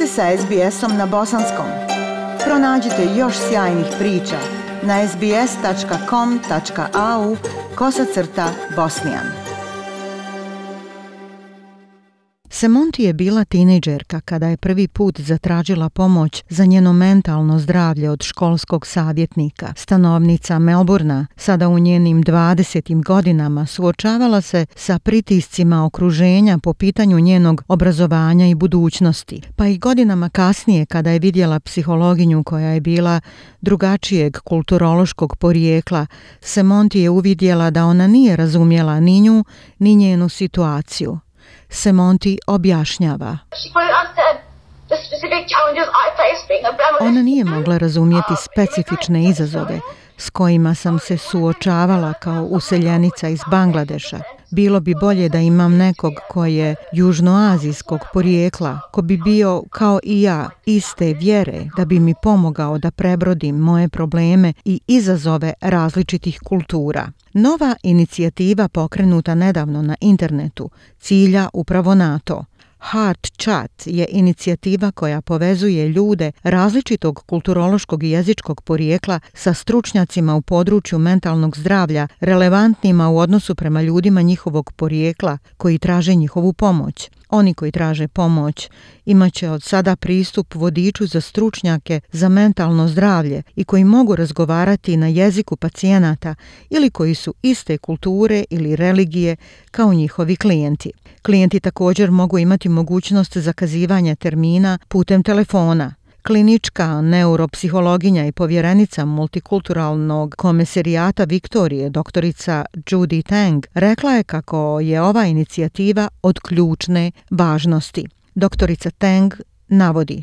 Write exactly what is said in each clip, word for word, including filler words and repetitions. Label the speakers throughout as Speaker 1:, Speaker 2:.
Speaker 1: ste sa es be esom na bosanskom. Pronađite još sjajnih priča na es be es tačka com tačka a u kosacrta bosnijan. Semonti je bila tinejdžerka kada je prvi put zatražila pomoć za njeno mentalno zdravlje od školskog savjetnika. Stanovnica Melbourna, sada u njenim dvadesetim godinama, suočavala se sa pritiscima okruženja po pitanju njenog obrazovanja i budućnosti. Pa i godinama kasnije, kada je vidjela psihologinju koja je bila drugačijeg kulturološkog porijekla, Semonti je uvidjela da ona nije razumjela ni nju, ni njenu situaciju. Semonti objašnjava. Ona nije mogla razumjeti specifične izazove s kojima sam se suočavala kao useljenica iz Bangladeša. Bilo bi bolje da imam nekog ko je južnoazijskog porijekla, ko bi bio kao i ja, iste vjere, da bi mi pomogao da prebrodim moje probleme i izazove različitih kultura. Nova inicijativa pokrenuta nedavno na internetu cilja upravo na to. Heart Chat je inicijativa koja povezuje ljude različitog kulturološkog i jezičkog porijekla sa stručnjacima u području mentalnog zdravlja, relevantnima u odnosu prema ljudima njihovog porijekla koji traže njihovu pomoć. Oni koji traže pomoć imat će od sada pristup vodiču za stručnjake za mentalno zdravlje i koji mogu razgovarati na jeziku pacijenata ili koji su iste kulture ili religije kao njihovi klijenti. Klijenti također mogu imati mogućnost zakazivanja termina putem telefona. Klinička neuropsihologinja i povjerenica multikulturalnog komesarijata Viktorije, doktorica Judy Tang, rekla je kako je ova inicijativa od ključne važnosti. Doktorica Tang navodi.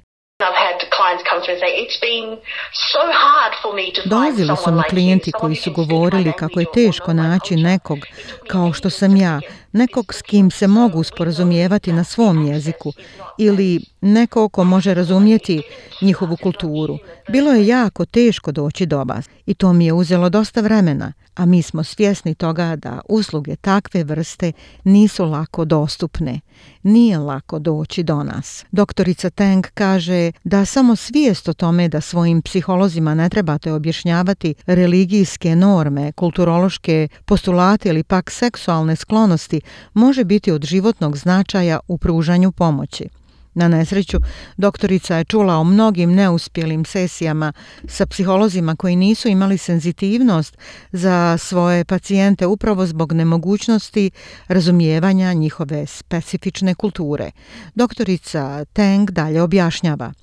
Speaker 1: Dolazili su mi klijenti koji su govorili kako je teško naći nekog kao što sam ja, nekog s kim se mogu sporazumijevati na svom jeziku ili nekog ko može razumjeti njihovu kulturu. Bilo je jako teško doći do vas i to mi je uzelo dosta vremena, a mi smo svjesni toga da usluge takve vrste nisu lako dostupne. Nije lako doći do nas. Doktorica Tang kaže da samo svijest o tome da svojim psiholozima ne trebate objašnjavati religijske norme, kulturološke postulate ili pak seksualne sklonosti može biti od životnog značaja u pružanju pomoći. Na nesreću, doktorica je čula o mnogim neuspjelim sesijama sa psiholozima koji nisu imali senzitivnost za svoje pacijente upravo zbog nemogućnosti razumijevanja njihove specifične kulture. Doktorica Tang dalje objašnjava.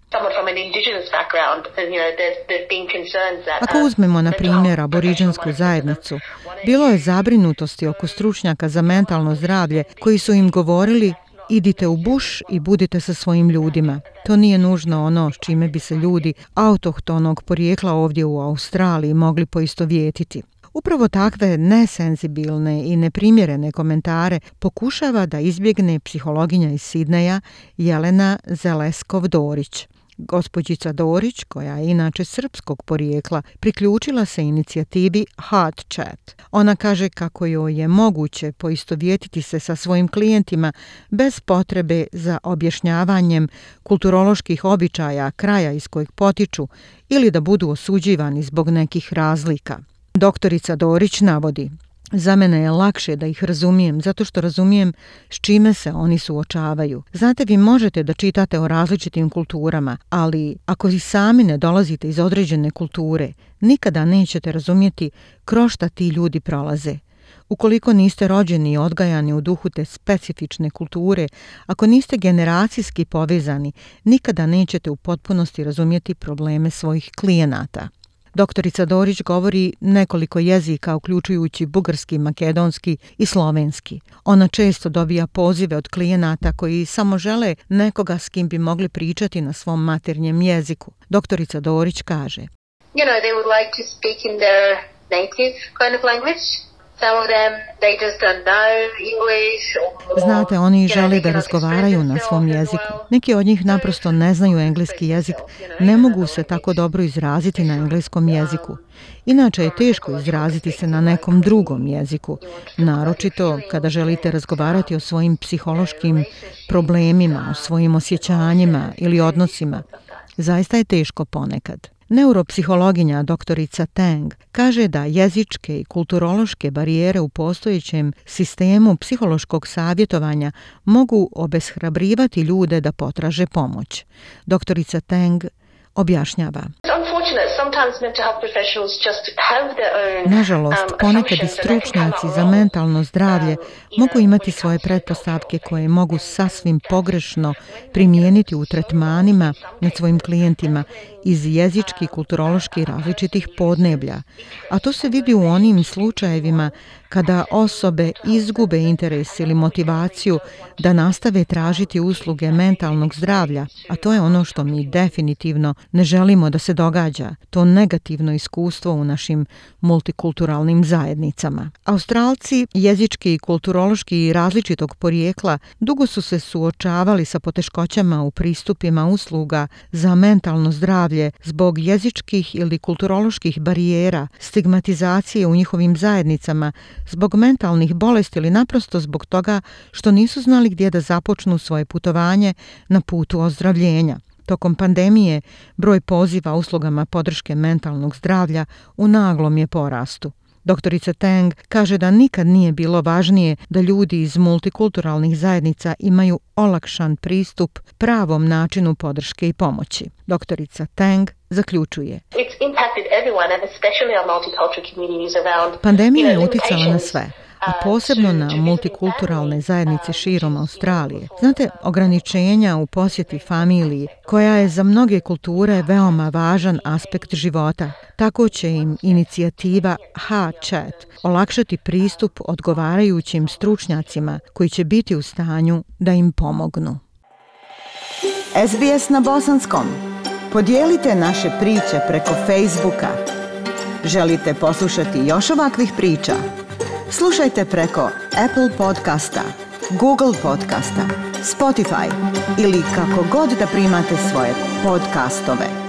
Speaker 1: Ako uzmemo na primjer aboriđansku zajednicu, bilo je zabrinutosti oko stručnjaka za mentalno zdravlje koji su im govorili: idite u buš i budite sa svojim ljudima. To nije nužno ono s čime bi se ljudi autohtonog porijekla ovdje u Australiji mogli poistovjetiti. Upravo takve nesenzibilne i neprimjerene komentare pokušava da izbjegne psihologinja iz Sidneja Jelena Zeleskov-Dorić. Gospođica Dorić, koja je inače srpskog porijekla, priključila se inicijativi Heart Chat. Ona kaže kako joj je moguće poistovjetiti se sa svojim klijentima bez potrebe za objašnjavanjem kulturoloških običaja kraja iz kojeg potiču ili da budu osuđivani zbog nekih razlika. Doktorica Dorić navodi: za mene je lakše da ih razumijem, zato što razumijem s čime se oni suočavaju. Znate, vi možete da čitate o različitim kulturama, ali ako i sami ne dolazite iz određene kulture, nikada nećete razumjeti kroz šta ti ljudi prolaze. Ukoliko niste rođeni i odgajani u duhu te specifične kulture, ako niste generacijski povezani, nikada nećete u potpunosti razumjeti probleme svojih klijenata. Doktorica Dorić govori nekoliko jezika, uključujući bugarski, makedonski i slovenski. Ona često dobija pozive od klijenata koji samo žele nekoga s kim bi mogli pričati na svom maternjem jeziku. Doktorica Dorić kaže:
Speaker 2: You know, they would like to speak in their native kind of language.
Speaker 1: Znate, oni žele da razgovaraju na svom jeziku. Neki od njih naprosto ne znaju engleski jezik, ne mogu se tako dobro izraziti na engleskom jeziku. Inače je teško izraziti se na nekom drugom jeziku, naročito kada želite razgovarati o svojim psihološkim problemima, o svojim osjećanjima ili odnosima. Zaista je teško ponekad. Neuropsihologinja doktorica Tang kaže da jezičke i kulturološke barijere u postojećem sistemu psihološkog savjetovanja mogu obeshrabrivati ljude da potraže pomoć. Doktorica Tang objašnjava. Nažalost, ponekad i stručnjaci za mentalno zdravlje mogu imati svoje pretpostavke koje mogu sasvim pogrešno primijeniti u tretmanima nad svojim klijentima iz jezički, kulturološki različitih podneblja. A to se vidi u onim slučajevima kada osobe izgube interes ili motivaciju da nastave tražiti usluge mentalnog zdravlja, a to je ono što mi definitivno ne želimo da se događa, to negativno iskustvo u našim multikulturalnim zajednicama. Australci, jezički i kulturološki različitog porijekla, dugo su se suočavali sa poteškoćama u pristupima usluga za mentalno zdravlje zbog jezičkih ili kulturoloških barijera, stigmatizacije u njihovim zajednicama, zbog mentalnih bolesti ili naprosto zbog toga što nisu znali gdje da započnu svoje putovanje na putu ozdravljenja. Tokom pandemije broj poziva uslugama podrške mentalnog zdravlja u naglom je porastu. Doktorica Tang kaže da nikad nije bilo važnije da ljudi iz multikulturalnih zajednica imaju olakšan pristup pravom načinu podrške i pomoći. Doktorica Tang zaključuje. Pandemija je uticala na sve, a posebno na multikulturalne zajednice širom Australije. Znate, ograničenja u posjeti familiji, koja je za mnoge kulture veoma važan aspekt života, tako će im inicijativa HeartChat olakšati pristup odgovarajućim stručnjacima koji će biti u stanju da im pomognu.
Speaker 2: S B S na bosanskom. Podijelite naše priče preko Facebooka. Želite poslušati još ovakvih priča? Slušajte preko Apple podcasta, Google podcasta, Spotify ili kako god da primate svoje podcastove.